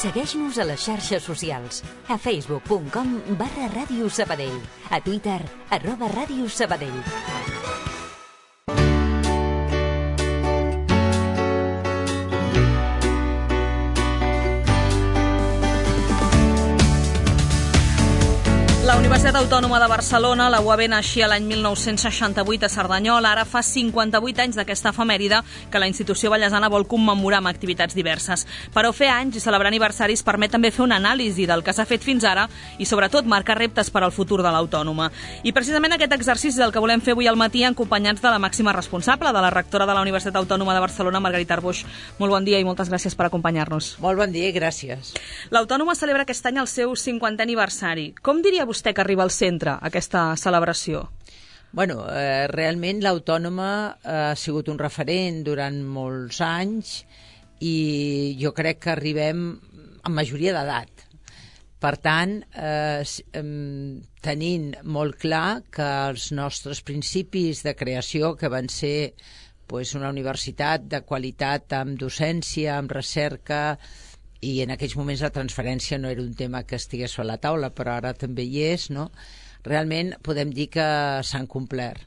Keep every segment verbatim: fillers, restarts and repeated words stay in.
Segueix-nos a les xarxes socials. A facebook punt com barra Ràdio Sabadell. A Twitter, arroba Ràdio Sabadell. La Universitat Autònoma de Barcelona, la U A B, naixia l'any mil nou-cents seixanta-vuit a Cerdanyola. Ara fa cinquanta-vuit anys d'aquesta efemèride que la institució ballesana vol commemorar amb activitats diverses. Però fer anys i celebrar aniversaris permet també fer una anàlisi del que s'ha fet fins ara i, sobretot, marcar reptes per al futur de l'Autònoma. I precisament aquest exercici és el que volem fer avui al matí, acompanyats de la màxima responsable, de la rectora de la Universitat Autònoma de Barcelona, Margarita Arboix. Molt bon dia i moltes gràcies per acompanyar-nos. Molt bon dia i gràcies. L'Autònoma celebra aquest any el seu cinquantè aniversari. Com diria vostè que arriba al centre aquesta celebració? Bueno, eh, realment l'Autònoma ha sigut un referent durant molts anys i jo crec que arribem amb majoria d'edat. Per tant, eh, tenint molt clar que els nostres principis de creació, que van ser pues, una universitat de qualitat amb docència, amb recerca, i en aquells moments la transferència no era un tema que estigués a la taula, però ara també hi és, no? Realment podem dir que s'han complert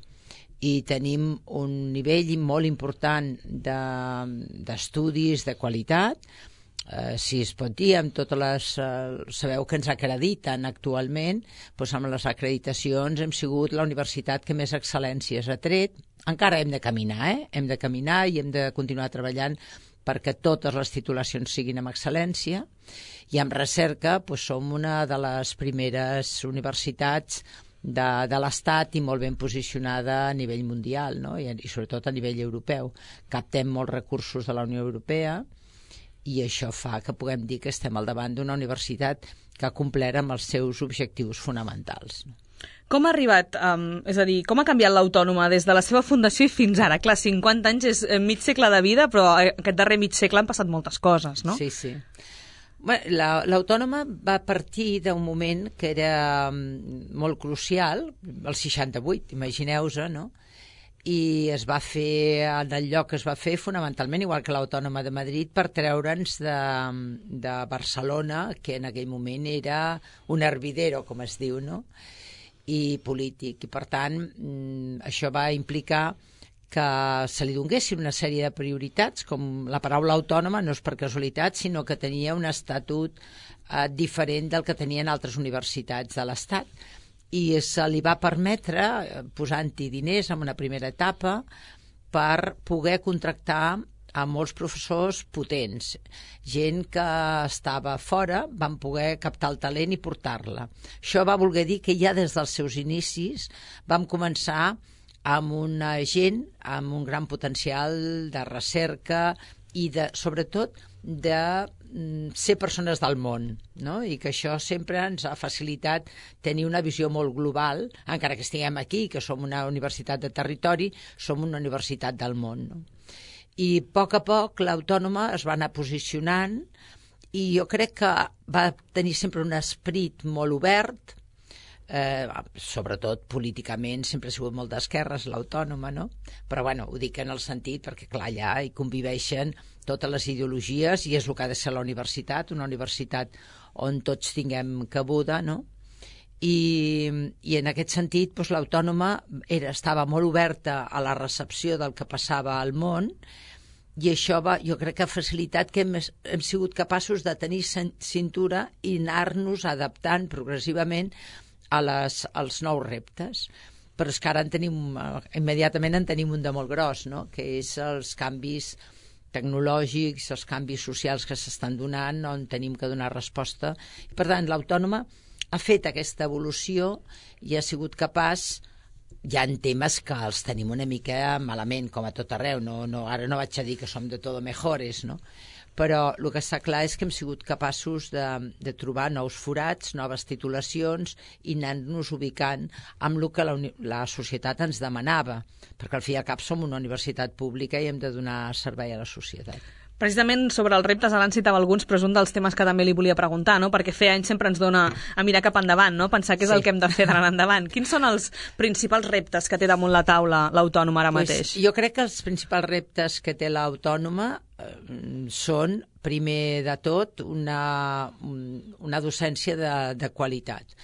i tenim un nivell molt important d'estudis de, de qualitat, eh, si es pot dir, amb totes les... Eh, sabeu que ens acrediten actualment, doncs amb les acreditacions hem sigut la universitat que més excel·lències ha tret. Encara hem de caminar, eh? Hem de caminar i hem de continuar treballant perquè totes les titulacions siguin amb excel·lència, i amb recerca doncs, som una de les primeres universitats de, de l'Estat i molt ben posicionada a nivell mundial, no? I, i sobretot a nivell europeu. Captem molts recursos de la Unió Europea i això fa que puguem dir que estem al davant d'una universitat que ha complert amb els seus objectius fonamentals. Com ha arribat, um, és a dir, com ha canviat l'Autònoma des de la seva fundació i fins ara? Clar, cinquanta anys és mig segle de vida, però aquest darrer mig segle han passat moltes coses, no? Sí, sí. Bueno, l'Autònoma va partir d'un moment que era molt crucial, el seixanta-vuit, imagineu-vos, no? I es va fer, en el lloc que es va fer, fonamentalment, igual que l'Autònoma de Madrid, per treure'ns de, de Barcelona, que en aquell moment era un hervidero, com es diu, no? I polític, i per tant això va implicar que se li donguessin una sèrie de prioritats, com la paraula autònoma no és per casualitat, sinó que tenia un estatut eh, diferent del que tenien altres universitats de l'Estat, i se li va permetre, posant-hi diners en una primera etapa, per poder contractar a molts professors potents, gent que estava fora, van poder captar el talent i portar-la. Això va voler dir que ja des dels seus inicis vam començar amb una gent amb un gran potencial de recerca i de, sobretot de ser persones del món, no? I que això sempre ens ha facilitat tenir una visió molt global, encara que estiguem aquí, que som una universitat de territori, som una universitat del món, no? I a poc a poc l'Autònoma es va anar posicionant i jo crec que va tenir sempre un esperit molt obert, eh, sobretot políticament sempre ha sigut molt d'esquerres l'Autònoma, no? Però bueno, ho dic en el sentit perquè clar, allà hi conviveixen totes les ideologies i és el que ha de ser la universitat, una universitat on tots tinguem cabuda, no? I, i en aquest sentit doncs, l'Autònoma era, estava molt oberta a la recepció del que passava al món i això va, jo crec que ha facilitat que hem, hem sigut capaços de tenir cintura i anar-nos adaptant progressivament a les, als nous reptes. Però és que ara en tenim, immediatament en tenim un de molt gros, no? Que és els canvis tecnològics, els canvis socials que s'estan donant, on tenim que donar resposta. I, per tant, l'Autònoma ha fet aquesta evolució i ha sigut capaç, hi ha temes que els tenim una mica malament, com a tot arreu, no, no, ara no vaig a dir que som de todo mejores, no? Però el que està clar és que hem sigut capaços de, de trobar nous forats, noves titulacions i anar-nos ubicant amb el que la, la societat ens demanava, perquè al fi i al cap som una universitat pública i hem de donar servei a la societat. Precisament sobre els reptes, ara en citava alguns, però és un dels temes que també li volia preguntar, no? Perquè fer anys sempre ens dona a mirar cap endavant, no? Pensar què és sí. el que hem de fer d'anar endavant. Quins són els principals reptes que té damunt la taula l'Autònoma ara pues, mateix? Jo crec que els principals reptes que té l'Autònoma eh, són primer de tot, una, una docència de, de qualitat.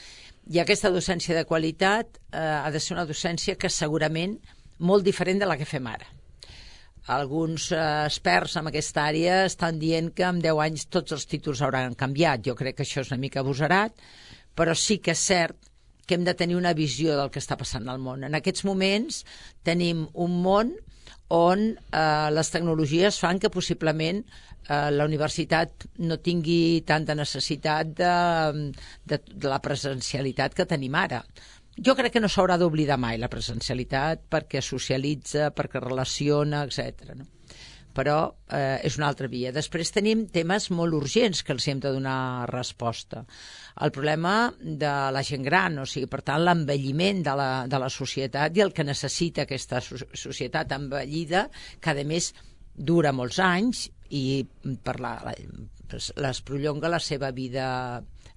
I aquesta docència de qualitat eh, ha de ser una docència que segurament molt diferent de la que fem ara. Alguns eh, experts en aquesta àrea estan dient que en deu anys tots els títols hauran canviat. Jo crec que això és una mica abusarat, però sí que és cert que hem de tenir una visió del que està passant al món. En aquests moments tenim un món on eh, les tecnologies fan que possiblement eh, la universitat no tingui tanta necessitat de, de, de la presencialitat que tenim ara. Jo crec que no s'haurà d'oblidar mai la presencialitat perquè socialitza, perquè relaciona, etcètera. No? Però eh, és una altra via. Després tenim temes molt urgents que els hem de donar resposta. El problema de la gent gran, o sigui, per tant, l'envelliment de, la, de la societat i el que necessita aquesta societat envellida, que a més dura molts anys i per la, la, les prolonga la seva vida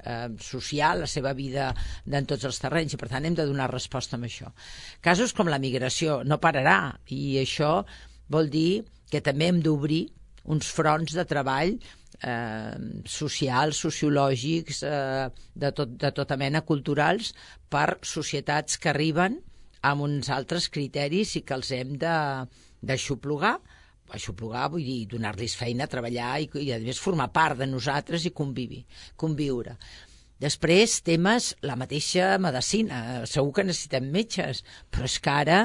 eh, social, la seva vida en tots els terrenys, i per tant hem de donar resposta amb això. Casos com la migració no pararà, i això vol dir que també hem d'obrir uns fronts de treball eh, socials, sociològics, eh, de, tot, de tota mena, culturals, per societats que arriben amb uns altres criteris i que els hem d'aixoplugar. Aixoplugar vull dir donar-los feina, treballar i, i a més formar part de nosaltres i convivi, conviure. Després, temes, la mateixa medicina. Segur que necessitem metges, però és que ara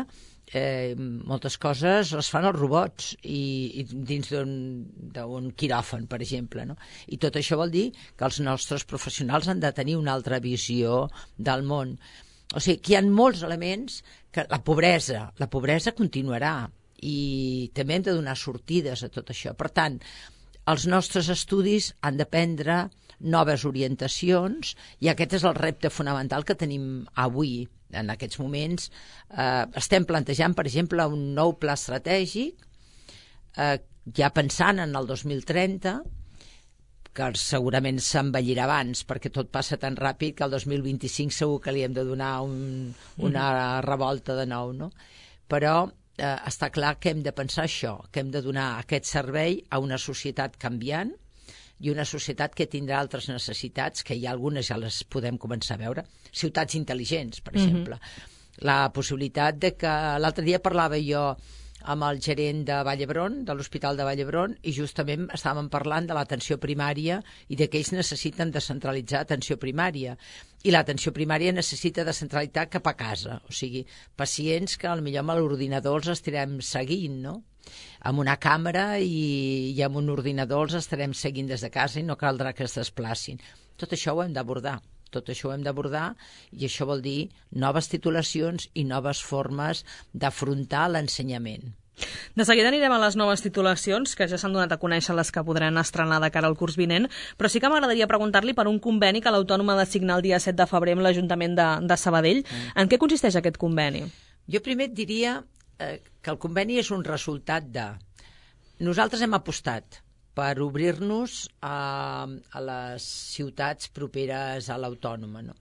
eh, moltes coses les fan els robots i, i dins d'un quiròfan, per exemple. No? I tot això vol dir que els nostres professionals han de tenir una altra visió del món. O sigui, que hi ha molts elements que la pobresa, la pobresa continuarà, i també hem de donar sortides a tot això. Per tant, els nostres estudis han de prendre noves orientacions i aquest és el repte fonamental que tenim avui. En aquests moments eh, estem plantejant, per exemple, un nou pla estratègic, eh, ja pensant en el dos mil trenta, que segurament s'envellirà abans perquè tot passa tan ràpid que el dos mil vint-i-cinc segur que li hem de donar un, una revolta de nou, no? Però eh, està clar que hem de pensar això, que hem de donar aquest servei a una societat canviant i una societat que tindrà altres necessitats, que hi ha algunes ja les podem començar a veure. Ciutats intel·ligents, per exemple. Mm-hmm. La possibilitat de que... L'altre dia parlava jo amb el gerent de Vall d'Hebron, de l'Hospital de Vall d'Hebron, i justament estàvem parlant de l'atenció primària i de que ells necessiten descentralitzar atenció primària. I l'atenció primària necessita descentralitzar cap a casa. O sigui, pacients que potser amb l'ordinador els estarem seguint, no? Amb una càmera i, i amb un ordinador els estarem seguint des de casa i no caldrà que es desplacin. Tot això ho hem d'abordar. Tot això ho hem d'abordar i això vol dir noves titulacions i noves formes d'afrontar l'ensenyament. De seguida anirem a les noves titulacions, que ja s'han donat a conèixer les que podran estrenar de cara al curs vinent, però sí que m'agradaria preguntar-li per un conveni que l'Autònoma ha de signar el dia set de febrer amb l'Ajuntament de, de Sabadell. Mm. En què consisteix aquest conveni? Jo primer et diria eh, que el conveni és un resultat de... Nosaltres hem apostat per obrir-nos a, a les ciutats properes a l'Autònoma, no?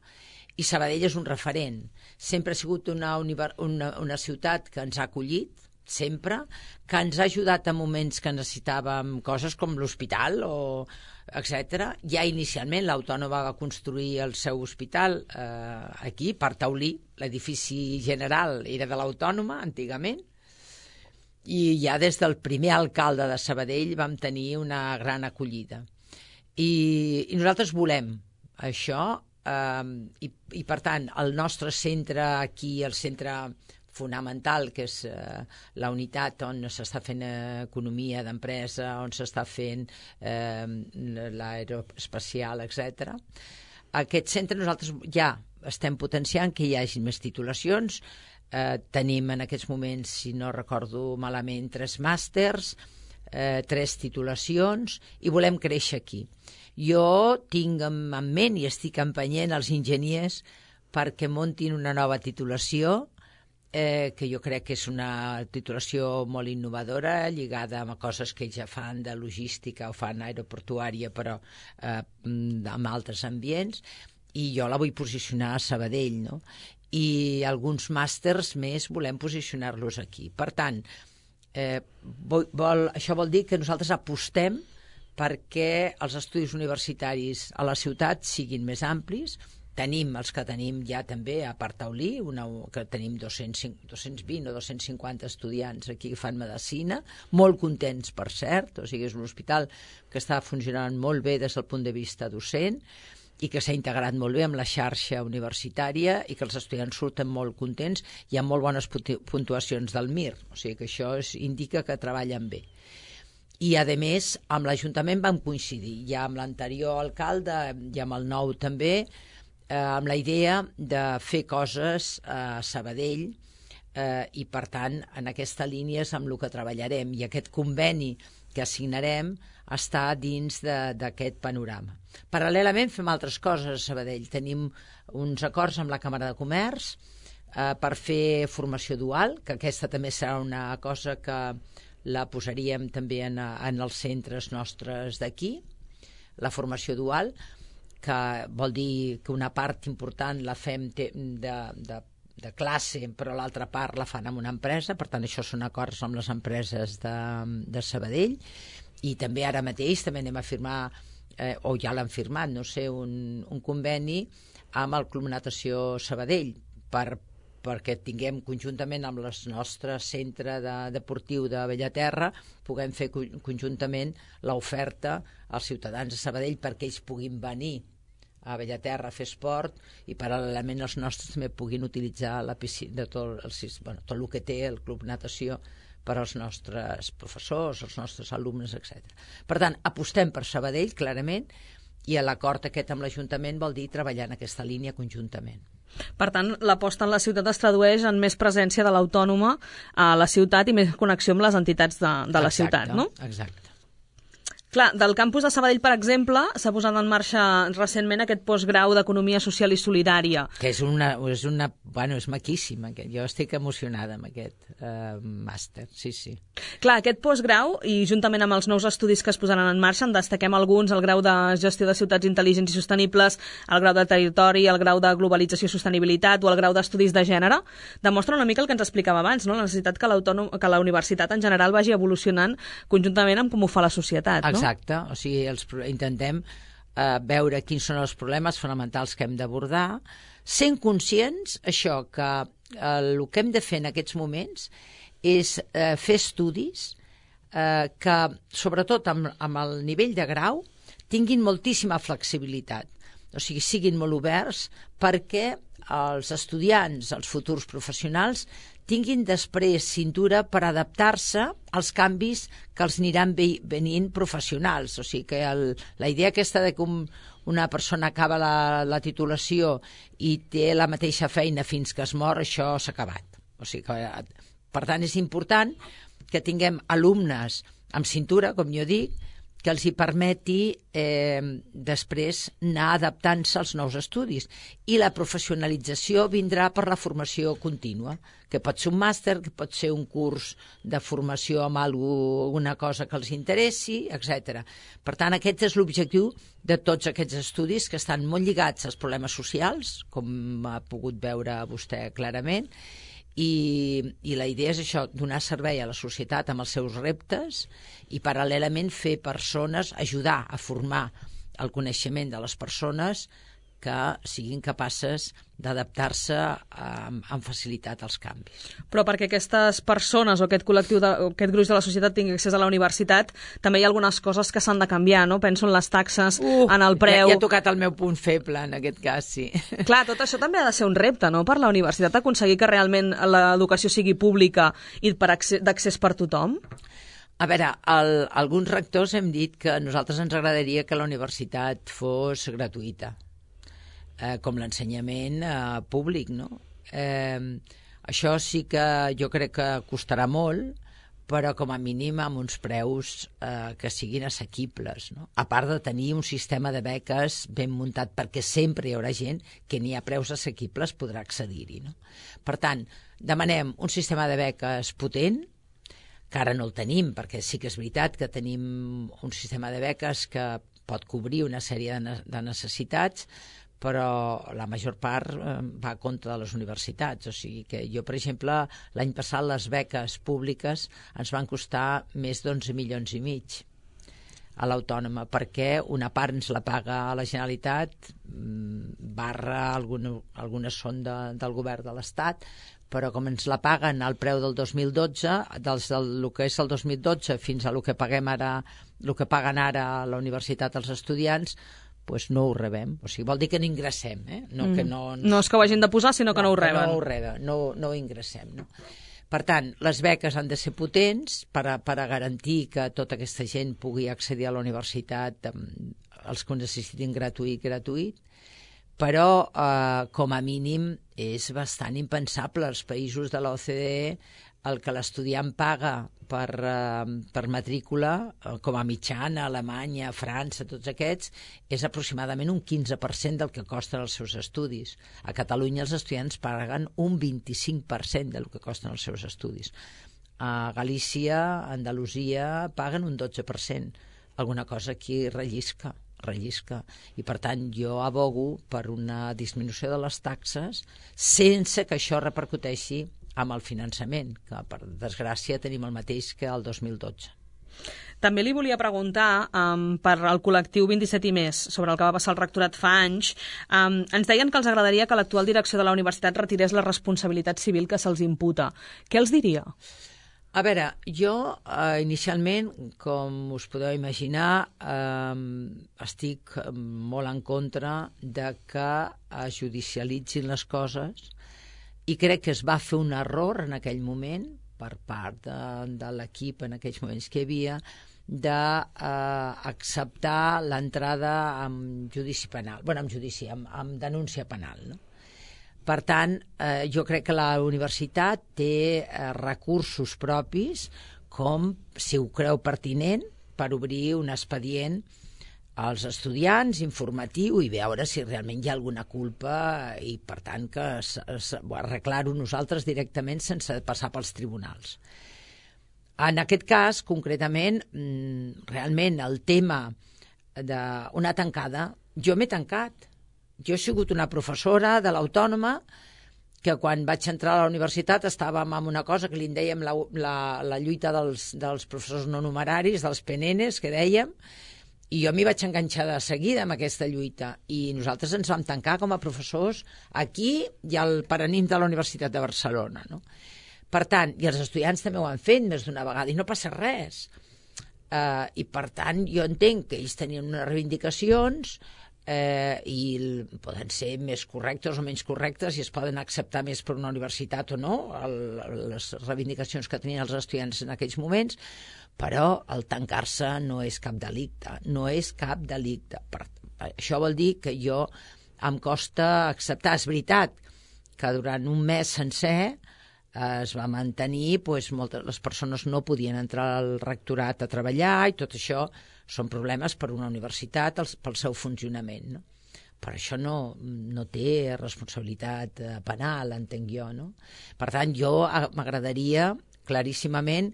I Sabadell és un referent. Sempre ha sigut una, una, una ciutat que ens ha acollit, sempre, que ens ha ajudat en moments que necessitàvem coses com l'hospital, o etcètera. Ja inicialment l'Autònoma va construir el seu hospital eh, aquí, per Taulí. L'edifici general era de l'Autònoma, antigament, i ja des del primer alcalde de Sabadell vam tenir una gran acollida. I, i nosaltres volem això, eh, i, i per tant el nostre centre aquí, el centre fonamental, que és eh, la unitat on s'està fent eh, economia d'empresa, on s'està fent eh, l'aeroespacial, etcètera. Aquest centre nosaltres ja estem potenciant que hi hagi més titulacions. Eh, tenim en aquests moments, si no recordo malament, tres màsters, eh, tres titulacions, i volem créixer aquí. Jo tinc en ment i estic empenyent els enginyers perquè muntin una nova titulació, eh, que jo crec que és una titulació molt innovadora, lligada a coses que ja fan de logística o fan aeroportuària, però eh, amb altres ambients, i jo la vull posicionar a Sabadell, no? I alguns màsters més volem posicionar-los aquí. Per tant, eh, vol, vol, això vol dir que nosaltres apostem perquè els estudis universitaris a la ciutat siguin més amplis. Tenim els que tenim ja també a Partaulí, una, que tenim dos-cents vint o dos-cents cinquanta estudiants aquí que fan medicina, molt contents, per cert, o sigui, és un hospital que està funcionant molt bé des del punt de vista docent i que s'ha integrat molt bé amb la xarxa universitària i que els estudiants surten molt contents i amb molt bones puntuacions del M I R, o sigui que això es indica que treballen bé. I, a més, amb l'Ajuntament vam coincidir, ja amb l'anterior alcalde i amb el nou també, eh, amb la idea de fer coses a Sabadell eh, i, per tant, en aquesta línia és amb el que treballarem. I aquest conveni que assignarem està dins d'aquest panorama. Paral·lelament fem altres coses a Sabadell. Tenim uns acords amb la Càmera de Comerç eh, per fer formació dual, que aquesta també serà una cosa que la posaríem també en, en els centres nostres d'aquí, la formació dual, que vol dir que una part important la fem de, de, de classe, però l'altra part la fan en una empresa, per tant això són acords amb les empreses de, de Sabadell, i també ara mateix també anem a firmar, eh, o ja l'han firmat, no sé, un, un conveni amb el Club Natació Sabadell, per perquè tinguem conjuntament amb el nostre centre de, deportiu de Bellaterra, puguem fer conjuntament l'oferta als ciutadans de Sabadell perquè ells puguin venir a Bellaterra a fer esport i paral·lelament els nostres també puguin utilitzar la piscina, de tot, el, bueno, tot el que té el Club Natació per als nostres professors, els nostres alumnes, etcètera. Per tant, apostem per Sabadell, clarament, i l'acord aquest amb l'Ajuntament vol dir treballar en aquesta línia conjuntament. Per tant, l'aposta en la ciutat es tradueix en més presència de l'autònoma a la ciutat i més connexió amb les entitats de, de la exacte, ciutat, no? Exacte. Clar, del campus de Sabadell, per exemple, s'ha posat en marxa recentment aquest postgrau d'Economia Social i Solidària. Que és una, és una, bueno, és maquíssim. Aquest. Jo estic emocionada amb aquest uh, màster, sí, sí. Clar, aquest postgrau, i juntament amb els nous estudis que es posaran en marxa, en destaquem alguns, el grau de Gestió de Ciutats Intel·ligents i Sostenibles, el grau de Territori, el grau de Globalització i Sostenibilitat o el grau d'Estudis de Gènere, demostra una mica el que ens explicava abans, no? La necessitat que, que la universitat en general vagi evolucionant conjuntament amb com ho fa la societat, no? Exacte, o sigui, els, intentem eh, veure quins són els problemes fonamentals que hem d'abordar, sent conscients, això, que eh, el que hem de fer en aquests moments és eh, fer estudis eh, que, sobretot amb, amb el nivell de grau, tinguin moltíssima flexibilitat, o sigui, siguin molt oberts perquè els estudiants, els futurs professionals, tinguin després cintura per adaptar-se als canvis que els aniran venint professionals. O sigui que el, la idea aquesta de que un, una persona acaba la, la titulació i té la mateixa feina fins que es mor, això s'ha acabat. O sigui que, per tant, és important que tinguem alumnes amb cintura, com jo dic, que els hi permeti eh, després anar adaptant-se als nous estudis. I la professionalització vindrà per la formació contínua, que pot ser un màster, que pot ser un curs de formació amb alguna cosa que els interessi, etcètera. Per tant, aquest és l'objectiu de tots aquests estudis que estan molt lligats als problemes socials, com ha pogut veure vostè clarament, I, i la idea és això, donar servei a la societat amb els seus reptes i paral·lelament fer persones, ajudar a formar el coneixement de les persones que siguin capaces d'adaptar-se amb, amb facilitat als canvis. Però perquè aquestes persones o aquest col·lectiu, de, o aquest gruix de la societat tingui accés a la universitat, també hi ha algunes coses que s'han de canviar, no? Penso en les taxes, uh, en el preu... Ja, ja he tocat el meu punt feble, en aquest cas, sí. Clar, tot això també ha de ser un repte, no?, per la universitat, aconseguir que realment l'educació sigui pública i d'accés per tothom. A veure, el, alguns rectors hem dit que a nosaltres ens agradaria que la universitat fos gratuïta, eh, com l'ensenyament eh, públic, no? Eh, això sí que jo crec que costarà molt, però com a mínim amb uns preus eh, que siguin assequibles, no? A part de tenir un sistema de beques ben muntat, perquè sempre hi haurà gent que ni a preus assequibles podrà accedir-hi, no? Per tant, demanem un sistema de beques potent, que ara no el tenim, perquè sí que és veritat que tenim un sistema de beques que pot cobrir una sèrie de necessitats, però la major part va a compte de les universitats. O sigui que jo, per exemple, l'any passat les beques públiques ens van costar més d'onze milions i mig. a l'Autònoma, perquè una part ens la paga la Generalitat, barra alguna, algunes són de, del govern de l'Estat, però com ens la paguen al preu del dos mil dotze, dels del que és el dos mil dotze fins a el que paguem ara, el que paguen ara a la universitat els estudiants, pues no ho rebem. O sigui, vol dir que no ingressem, eh? No, mm. que no, no és que ho hagin de posar, sinó que no, no ho reben. No ho reben, no, no ho ingressem, no? Per tant, les beques han de ser potents per a, per a garantir que tota aquesta gent pugui accedir a la universitat, els que ho necessitin gratuït, gratuït, però eh, com a mínim és bastant impensable. Els països de l'O C D E, el que l'estudiant paga per, eh, per matrícula, eh, com a mitjana, Alemanya, França, tots aquests, és aproximadament un quinze per cent del que costen els seus estudis. A Catalunya els estudiants paguen un vint-i-cinc per cent del que costen els seus estudis. A Galícia, Andalusia, paguen un dotze per cent. Alguna cosa aquí rellisca. rellisca. I per tant jo abogo per una disminució de les taxes sense que això repercuteixi amb el finançament, que per desgràcia tenim el mateix que el dos mil dotze. També li volia preguntar um, per al col·lectiu vint-i-set i més, sobre el que va passar al rectorat fa anys. Um, ens deien que els agradaria que l'actual direcció de la universitat retirés la responsabilitat civil que se'ls imputa. Què els diria? A veure, jo eh, inicialment, com us podeu imaginar, eh, estic molt en contra de que es judicialitzin les coses i crec que es va fer un error en aquell moment per part de, de l'equip en aquells moments que hi havia d'acceptar eh, l'entrada amb judici penal, bueno, amb judici, amb, amb denúncia penal, no? Per tant, eh, jo crec que la universitat té eh, recursos propis, com, si ho creu pertinent, per obrir un expedient als estudiants, informatiu, i veure si realment hi ha alguna culpa i, per tant, que arreglar-ho nosaltres directament sense passar pels tribunals. En aquest cas, concretament, realment el tema d'una tancada, jo m'he tancat. Jo he sigut una professora de l'Autònoma que quan vaig entrar a la universitat estàvem amb una cosa que li en dèiem la, la, la lluita dels, dels professors no numeraris, dels P N Ns, que dèiem, i jo m'hi vaig enganxar de seguida amb aquesta lluita. I nosaltres ens vam tancar com a professors aquí i al Paranin de la Universitat de Barcelona, no? Per tant, i els estudiants també ho han fet més d'una vegada, i no passa res. Uh, I per tant, jo entenc que ells tenien unes reivindicacions eh, i poden ser més correctes o menys correctes i es poden acceptar més per una universitat o no, el, les reivindicacions que tenien els estudiants en aquells moments, però el tancar-se no és cap delicte, no és cap delicte. Per, això vol dir que jo em costa acceptar. És veritat que durant un mes sencer es va mantenir, doncs, moltes les persones no podien entrar al rectorat a treballar i tot això són problemes per una universitat pel seu funcionament, no? Per això no, no té responsabilitat penal, entenc jo, no? Per tant, jo m'agradaria claríssimament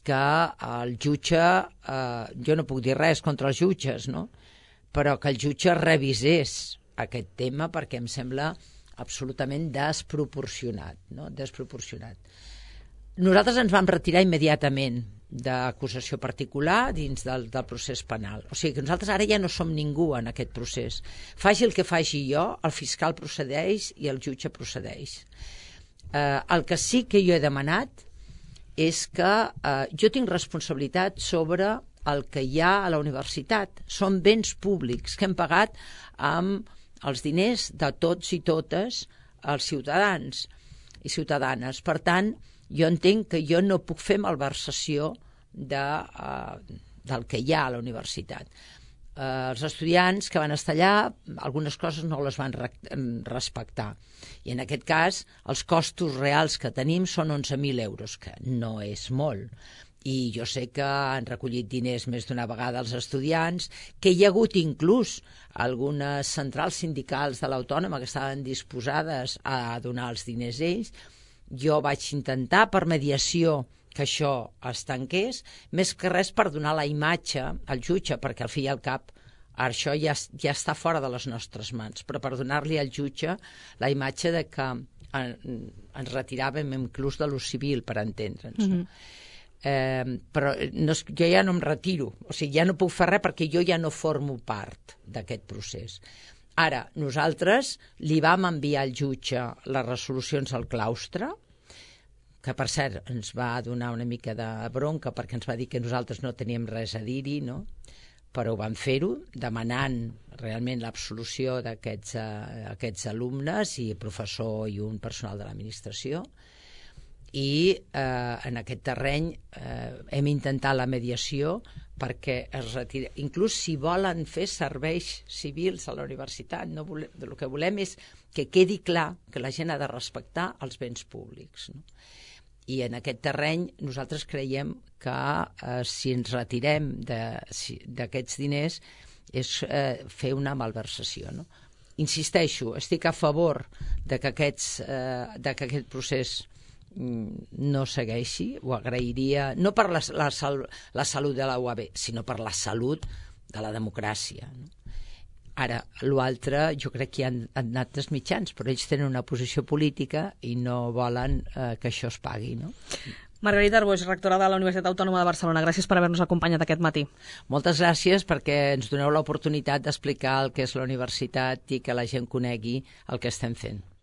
que el jutge, eh, jo no puc dir res contra els jutges, no? Però que el jutge revisés aquest tema perquè em sembla absolutament desproporcionat, no? Desproporcionat. Nosaltres ens vam retirar immediatament d'acusació particular dins del, del procés penal. O sigui que nosaltres ara ja no som ningú en aquest procés. Faci el que faci jo, el fiscal procedeix i el jutge procedeix. Eh, el que sí que jo he demanat és que eh, jo tinc responsabilitat sobre el que hi ha a la universitat. Són béns públics que hem pagat amb els diners de tots i totes els ciutadans i ciutadanes. Per tant, jo entenc que jo no puc fer malversació de, uh, del que hi ha a la universitat. Uh, els estudiants que van estar allà, algunes coses no les van re respectar. I en aquest cas, els costos reals que tenim són onze mil euros, que no és molt. I jo sé que han recollit diners més d'una vegada els estudiants, que hi ha hagut inclús algunes centrals sindicals de l'Autònoma que estaven disposades a donar els diners ells. Jo vaig intentar per mediació que això es tanqués, més que res per donar la imatge al jutge, perquè al fi i al cap això ja, ja està fora de les nostres mans, però per donar-li al jutge la imatge de que en, ens retiràvem inclús de l'ús civil, per entendre'ns. Mm-hmm. Eh, però no, jo ja no em retiro, o sigui, ja no puc fer res perquè jo ja no formo part d'aquest procés. Ara, nosaltres li vam enviar al jutge les resolucions al claustre, que per cert ens va donar una mica de bronca perquè ens va dir que nosaltres no teníem res a dir-hi, no? Però ho van fer-ho, demanant realment l'absolució d'aquests eh, aquests alumnes i professor i un personal de l'administració. I eh, en aquest terreny eh, hem intentat la mediació perquè es retira. Inclús si volen fer serveis civils a la universitat, no volem, el que volem és que quedi clar que la gent ha de respectar els béns públics, no? I en aquest terreny nosaltres creiem que eh, si ens retirem d'aquests si, diners és eh, fer una malversació, no? Insisteixo, estic a favor de que, aquests, eh, de que aquest procés no segueixi, ho agrairia, no per la, la, la salut de la U A B, sinó per la salut de la democràcia, no? Ara, l'altre, jo crec que hi han, han anat els mitjans, però ells tenen una posició política i no volen eh, que això es pagui, no? Margarita Arboix, rectora de la Universitat Autònoma de Barcelona, gràcies per haver-nos acompanyat aquest matí. Moltes gràcies perquè ens doneu l'oportunitat d'explicar el que és la universitat i que la gent conegui el que estem fent.